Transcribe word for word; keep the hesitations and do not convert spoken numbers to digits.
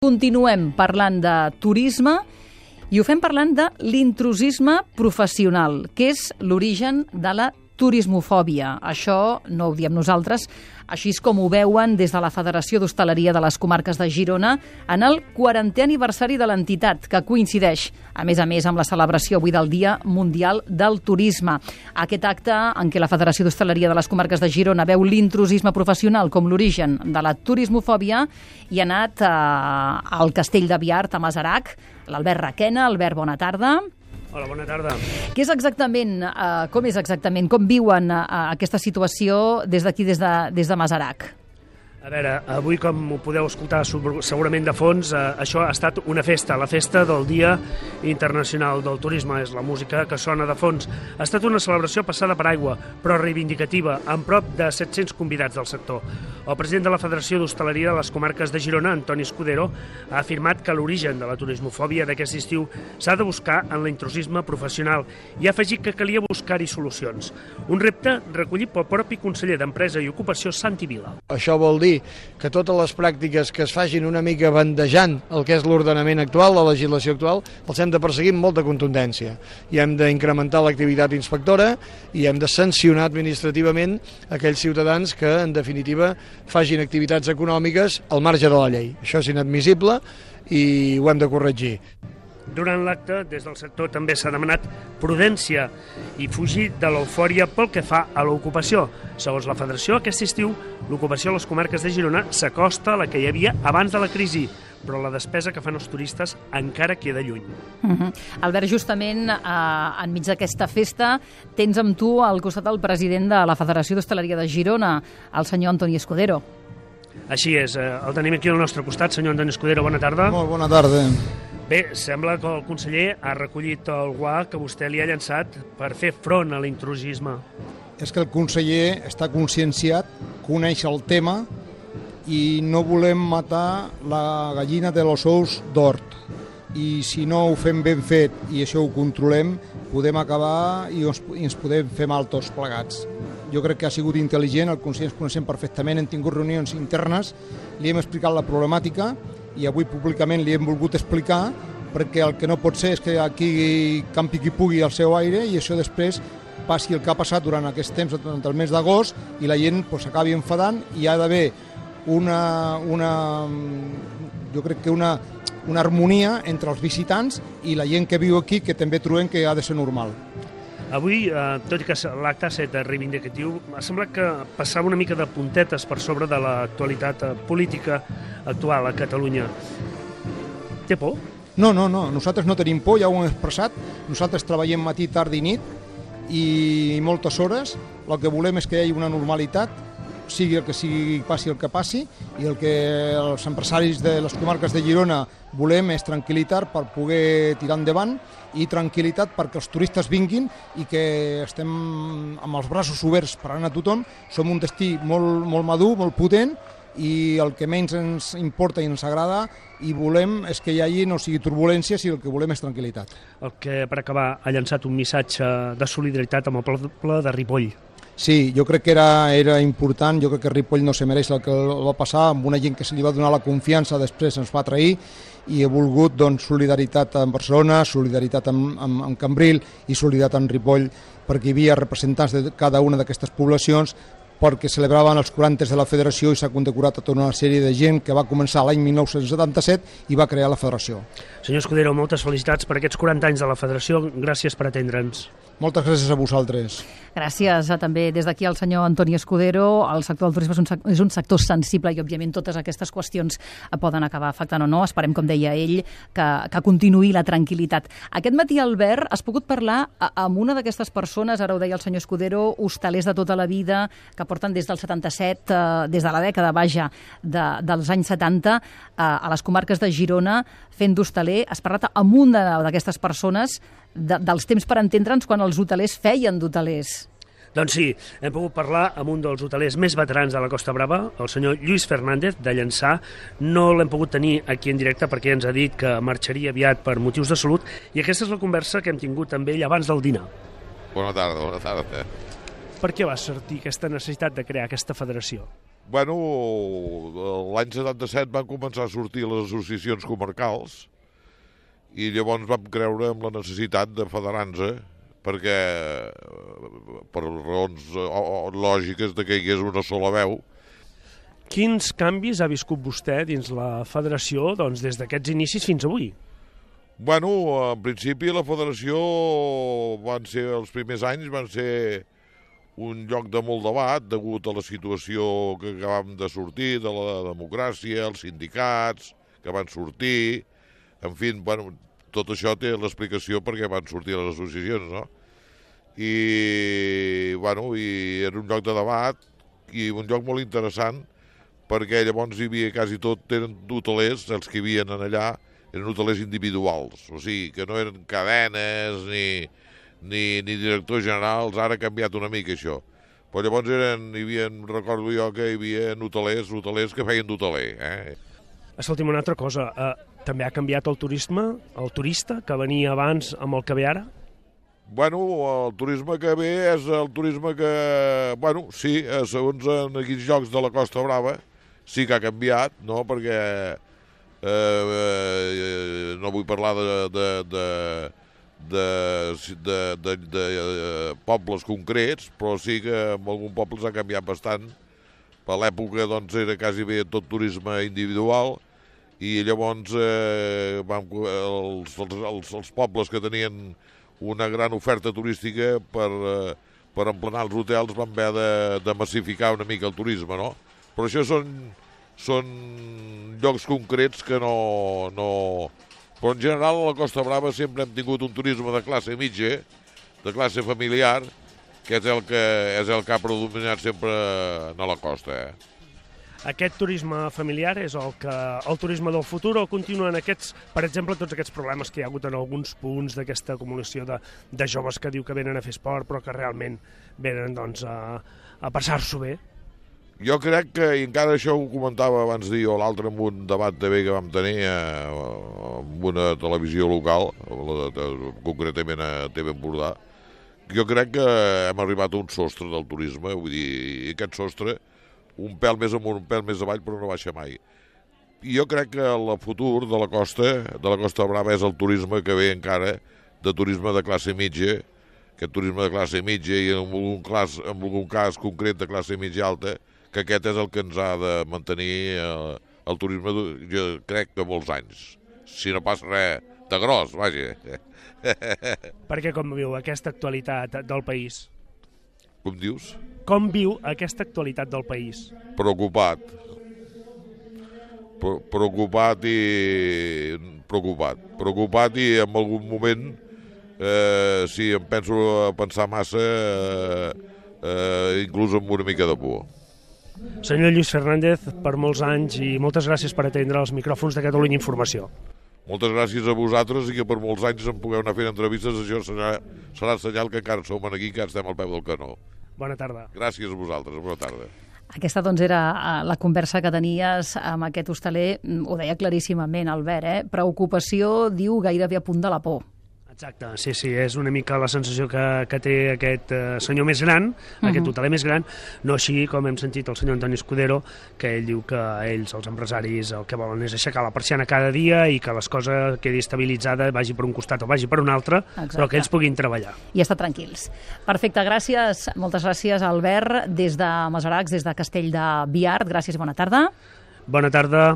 Continuem parlant de turisme i ho fem parlant de l'intrusisme professional, que és l'origen de la turismofòbia. Això no ho diem nosaltres, així és com ho veuen des de la Federació d'Hostaleria de les Comarques de Girona en el quarantè aniversari de l'entitat, que coincideix, a més a més, amb la celebració avui del Dia Mundial del Turisme. Aquest acte en què la Federació d'Hostaleria de les Comarques de Girona veu l'intrusisme professional com l'origen de la turismofòbia i ha anat eh, al Castell de Biart, a Masarac. L'Albert Requena. Albert, bona tarda. Hola, bona tarda. Què és exactament, eh, com és exactament, com viuen eh, aquesta situació des d'aquí, des de, des de Masarac? A veure, avui, com ho podeu escoltar segurament de fons, eh, això ha estat una festa, la festa del Dia Internacional del Turisme, és la música que sona de fons. Ha estat una celebració passada per aigua, però reivindicativa, amb prop de set-cents convidats del sector. El president de la Federació d'Hostaleria de les Comarques de Girona, Antoni Escudero, ha afirmat que l'origen de la turismofòbia d'aquest estiu s'ha de buscar en l'intrusisme professional i ha afegit que calia buscar-hi solucions. Un repte recollit pel propi conseller d'Empresa i Ocupació, Santi Vila. Això vol dir que totes les pràctiques que es facin una mica bandejant el que és l'ordenament actual, la legislació actual, els hem de perseguir amb molta contundència. I hem d'incrementar l'activitat inspectora i hem de sancionar administrativament aquells ciutadans que, en definitiva, facin activitats econòmiques al marge de la llei. Això és inadmissible i ho hem de corregir. Durant l'acte, des del sector també s'ha demanat prudència i fugir de l'eufòria pel que fa a l'ocupació. Segons la Federació, aquest estiu l'ocupació a les comarques de Girona s'acosta a la que hi havia abans de la crisi, però la despesa que fan els turistes encara queda lluny. Uh-huh. Albert, justament eh, enmig d'aquesta festa tens amb tu al costat el president de la Federació d'Hostaleria de Girona, el senyor Antoni Escudero. Així és, eh, el tenim aquí al nostre costat. Senyor Antoni Escudero, bona tarda. Molt bona tarda. Bé, sembla que el conseller ha recollit el guà que vostè li ha llançat per fer front a l'intrusisme. És que el conseller està conscienciat, coneix el tema i no volem matar la gallina de los ous d'hort. I si no ho fem ben fet i això ho controlem, podem acabar i ens, i ens podem fer mal tots plegats. Jo crec que ha sigut intel·ligent, el conseller ens coneixem perfectament, hem tingut reunions internes, li hem explicat la problemàtica i avui públicament li hem volgut explicar perquè el que no pot ser és que aquí campi qui pugui al seu aire i això després passi el que ha passat durant aquest temps, durant el mes d'agost, i la gent pues, s'acabi enfadant i hi ha d'haver una, una, jo crec que una, una harmonia entre els visitants i la gent que viu aquí, que també trobem que ha de ser normal. Avui, eh, tot i que l'acte ha estat reivindicatiu, ha semblat que passava una mica de puntetes per sobre de l'actualitat política actual a Catalunya. Té por? No, no, no, nosaltres no tenim por, ja ho hem expressat. Nosaltres treballem matí, tard i nit i moltes hores. El que volem és que hi hagi una normalitat, sigui el que sigui, passi el que passi, i el que els empresaris de les comarques de Girona volem és tranquil·litat per poder tirar endavant i tranquil·litat perquè els turistes vinguin i que estem amb els braços oberts per anar a tothom. Som un destí molt, molt madur, molt potent, i el que menys ens importa i ens agrada i volem és que hi hagi no sigui turbulències i el que volem és tranquil·litat. El que, per acabar, ha llançat un missatge de solidaritat amb el poble de Ripoll. Sí, jo crec que era, era important, jo crec que Ripoll no se mereix el que va passar, amb una gent que se li va donar la confiança, després ens va trair, i he volgut doncs, solidaritat amb Barcelona, solidaritat amb, amb, amb Cambril i solidaritat amb Ripoll, perquè hi havia representants de cada una d'aquestes poblacions, perquè celebraven els quaranta de la Federació i s'ha condecorat a tota una sèrie de gent que va començar l'any mil nou-cents setanta-set i va crear la Federació. Senyor Escudero, moltes felicitats per aquests quaranta anys de la Federació. Gràcies per atendre'ns. Moltes gràcies a vosaltres. Gràcies a, també des d'aquí al senyor Antoni Escudero. El sector del turisme és un, és un sector sensible i, òbviament, totes aquestes qüestions poden acabar afectant o no. Esperem, com deia ell, que, que continuï la tranquil·litat. Aquest matí, Albert, has pogut parlar amb una d'aquestes persones, ara ho deia el senyor Escudero, hostalers de tota la vida, que porten des del setanta-set, eh, des de la dècada, vaja, de, dels anys setanta, eh, a les comarques de Girona, fent d'hostaler. Has parlat amb una d'aquestes persones de, dels temps per entendre'ns quan els hotelers feien d'hotelers. Doncs sí, hem pogut parlar amb un dels hotelers més veterans de la Costa Brava, el senyor Lluís Fernández, de Llançà. No l'hem pogut tenir aquí en directe perquè ens ha dit que marxaria aviat per motius de salut, i aquesta és la conversa que hem tingut amb ell abans del dinar. Bona tarda, bona tarda. Per què va sortir aquesta necessitat de crear aquesta federació? Bueno, l'any setanta-set van començar a sortir les associacions comarcals i llavors vam creure en la necessitat de federar-nos perquè, per raons lògiques de que hi hagués una sola veu. Quins canvis ha viscut vostè dins la federació doncs, des d'aquests inicis fins avui? Bueno, en principi la federació van ser, els primers anys van ser un lloc de molt debat degut a la situació que acabàvem de sortir, de la democràcia, els sindicats que van sortir, en fi, bueno, tot això té l'explicació perquè van sortir les associacions, no? I, bueno, i era un lloc de debat i un lloc molt interessant perquè llavors hi havia quasi tot, eren hotelers, els que hi havia allà, eren hotelers individuals, o sigui, que no eren cadenes ni, ni, ni directors generals, ara ha canviat una mica això. Però llavors eren, hi havia, recordo jo que hi havia hotelers, hotelers que feien d'hoteler. Eh? Escolti'm, una altra cosa, eh, també ha canviat el turisme, el turista que venia abans amb el que ve ara? Bueno, el turisme que ve és el turisme que, bueno, sí, segons en aquells llocs de la Costa Brava, sí que ha canviat, no?, perquè eh, eh, no vull parlar de, de, de, de, de, de, de pobles concrets, però sí que en alguns pobles ha canviat bastant. Per l'època doncs, era quasi bé tot turisme individual i llavors eh, vam, els, els, els pobles que tenien una gran oferta turística per, eh, per emplenar els hotels van haver de, de massificar una mica el turisme, no? Però això són, són llocs concrets que no, no... Però en general a la Costa Brava sempre hem tingut un turisme de classe mitja, de classe familiar, que és el que, és el que ha predominat sempre a la costa. Eh? Aquest turisme familiar és el, que, el turisme del futur o continuen aquests, per exemple, tots aquests problemes que hi ha hagut en alguns punts d'aquesta acumulació de, de joves que diu que venen a fer esport però que realment venen doncs, a, a passar-s'ho bé? Jo crec que, i encara això ho comentava abans dir o l'altre en un debat també que vam tenir eh, amb una televisió local, concretament a T V Empordà, jo crec que hem arribat a un sostre del turisme, vull dir, i aquest sostre un pèl més amunt, un pèl més avall, però no baixa mai. I jo crec que el futur de la costa, de la Costa Brava, és el turisme que ve encara de turisme de classe mitja, aquest turisme de classe mitja i en algun cas, en algun cas concret de classe mitja alta, que aquest és el que ens ha de mantenir el, el turisme, jo crec que molts anys, si no passa res de gros, vaja. Perquè com viu aquesta actualitat del país? Com dius? Com viu aquesta actualitat del país? Preocupat. Pre preocupat i... Preocupat. Preocupat i en algun moment, eh, si em penso a pensar massa, eh, eh, inclús amb una mica de por. Senyor Lluís Fernández, per molts anys i moltes gràcies per atendre els micròfons de Catalunya Informació. Moltes gràcies a vosaltres i que per molts anys em pugueu anar fent entrevistes, això serà, serà senyal que encara som aquí, que estem al peu del canó. Bona tarda. Gràcies a vosaltres, bona tarda. Aquesta doncs era la conversa que tenies amb aquest hostaler, ho deia claríssimament Albert, eh? Preocupació, diu, gairebé a punt de la por. Exacte, sí, sí, és una mica la sensació que, que té aquest eh, senyor més gran, uh-huh. aquest hoteler més gran, no així com hem sentit el senyor Antoni Escudero, que ell diu que ells, els empresaris, el que volen és aixecar la persiana cada dia i que les coses quedi estabilitzada, vagi per un costat o vagi per un altre, exacte. Però que ells puguin treballar. I estar tranquils. Perfecte, gràcies, moltes gràcies Albert, des de Masaracs, des de Castell de Biart, gràcies, bona tarda. Bona tarda.